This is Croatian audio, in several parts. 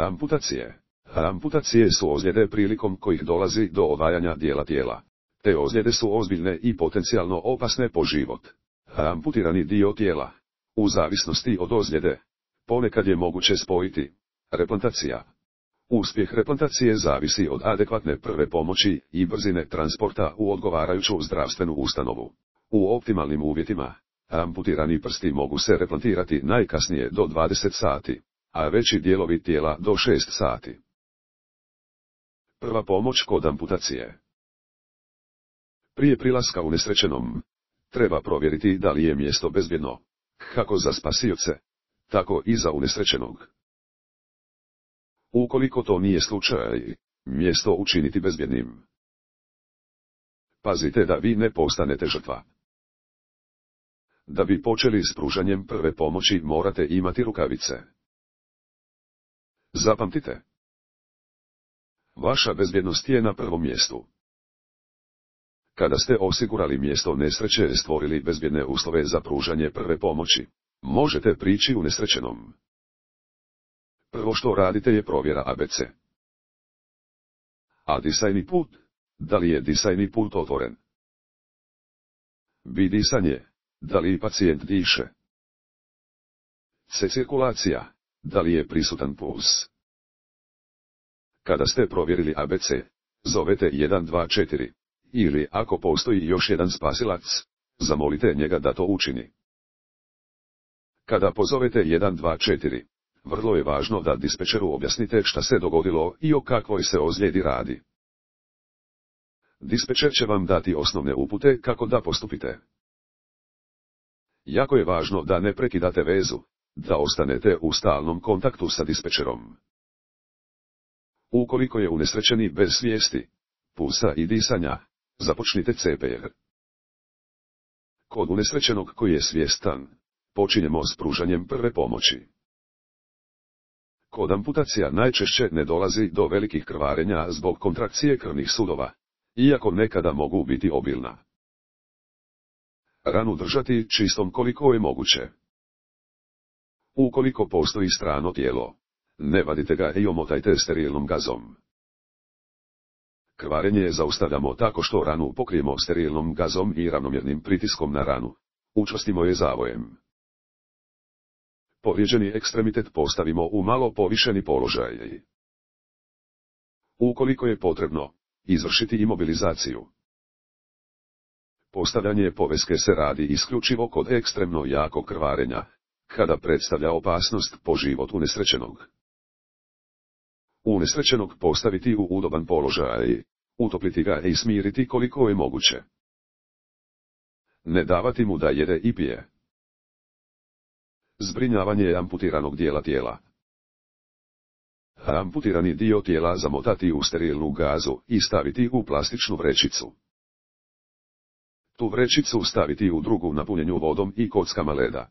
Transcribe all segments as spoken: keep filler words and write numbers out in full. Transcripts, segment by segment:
Amputacije. Amputacije su ozljede prilikom kojih dolazi do odvajanja dijela tijela. Te ozljede su ozbiljne i potencijalno opasne po život. Amputirani dio tijela. U zavisnosti od ozljede, ponekad je moguće spojiti. Replantacija. Uspjeh replantacije zavisi od adekvatne prve pomoći i brzine transporta u odgovarajuću zdravstvenu ustanovu. U optimalnim uvjetima, amputirani prsti mogu se replantirati najkasnije do dvadeset sati, a veći dijelovi tijela do šest sati. Prva pomoć kod amputacije. Prije prilaska unesrećenom, treba provjeriti da li je mjesto bezbjedno, kako za spasioce, tako i za unesrećenog. Ukoliko to nije slučaj, mjesto učiniti bezbjednim. Pazite da vi ne postanete žrtva. Da bi počeli s pružanjem prve pomoći morate imati rukavice. Zapamtite. Vaša bezbjednost je na prvom mjestu. Kada ste osigurali mjesto nesreće i stvorili bezbjedne uslove za pružanje prve pomoći, možete prići unesrećenom. Prvo što radite je provjera A B C. A disajni put, da li je disajni put otvoren? B disanje, da li pacijent diše? C cirkulacija, da li je prisutan puls? Kada ste provjerili A B C, zovete jedan dva četiri, ili ako postoji još jedan spasilac, zamolite njega da to učini. Kada pozovete jedan dva četiri, vrlo je važno da dispečeru objasnite šta se dogodilo i o kakvoj se ozljedi radi. Dispečer će vam dati osnovne upute kako da postupite. Jako je važno da ne prekidate vezu, da ostanete u stalnom kontaktu sa dispečerom. Ukoliko je unesrećeni bez svijesti, pulsa i disanja, započnite C P R. Kod unesrećenog koji je svjestan, počinjemo s pružanjem prve pomoći. Kod amputacija najčešće ne dolazi do velikih krvarenja zbog kontrakcije krvnih sudova, iako nekada mogu biti obilna. Ranu držati čistom koliko je moguće. Ukoliko postoji strano tijelo, ne vadite ga i omotajte sterilnom gazom. Krvarenje zaustavljamo tako što ranu pokrijemo sterilnom gazom i ravnomjernim pritiskom na ranu. Učvrstimo je zavojem. Povrijeđeni ekstremitet postavimo u malo povišeni položaj. Ukoliko je potrebno, izvršiti imobilizaciju. Postavljanje poveske se radi isključivo kod ekstremno jakog krvarenja, kada predstavlja opasnost po život unesrećenog. Unesrećenog postaviti u udoban položaj, utopliti ga i smiriti koliko je moguće. Ne davati mu da jede i pije. Zbrinjavanje amputiranog dijela tijela. Amputirani dio tijela zamotati u sterilnu gazu i staviti u plastičnu vrećicu. Tu vrećicu staviti u drugu napunjenju vodom i kockama leda.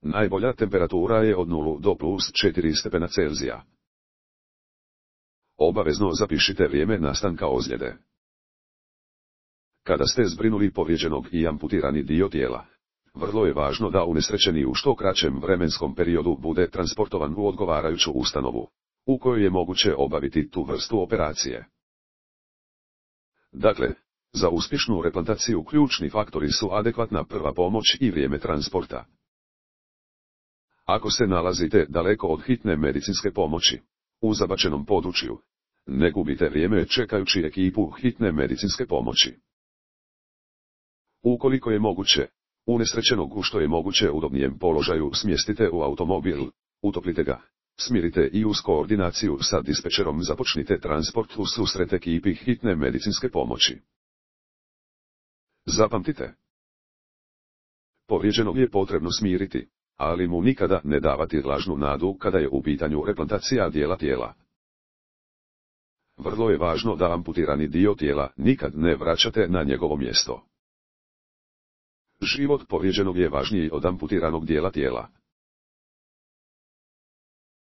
Najbolja temperatura je od nula do plus četiri stepena Celzija. Obavezno zapišite vrijeme nastanka ozljede. Kada ste zbrinuli povrijeđenog i amputirani dio tijela, vrlo je važno da unesrećeni u što kraćem vremenskom periodu bude transportovan u odgovarajuću ustanovu, u kojoj je moguće obaviti tu vrstu operacije. Dakle, za uspješnu replantaciju ključni faktori su adekvatna prva pomoć i vrijeme transporta. Ako se nalazite daleko od hitne medicinske pomoći, u zabačenom području, ne gubite vrijeme čekajući ekipu hitne medicinske pomoći. Ukoliko je moguće, unesrećenog u što je moguće udobnijem položaju smjestite u automobil, utoplite ga, smirite i uz koordinaciju sa dispečerom započnite transport u susret ekipi hitne medicinske pomoći. Zapamtite. Povrijeđenog je potrebno smiriti, ali mu nikada ne davati lažnu nadu kada je u pitanju replantacija dijela tijela. Vrlo je važno da amputirani dio tijela nikad ne vraćate na njegovo mjesto. Život povrijeđenog je važniji od amputiranog dijela tijela.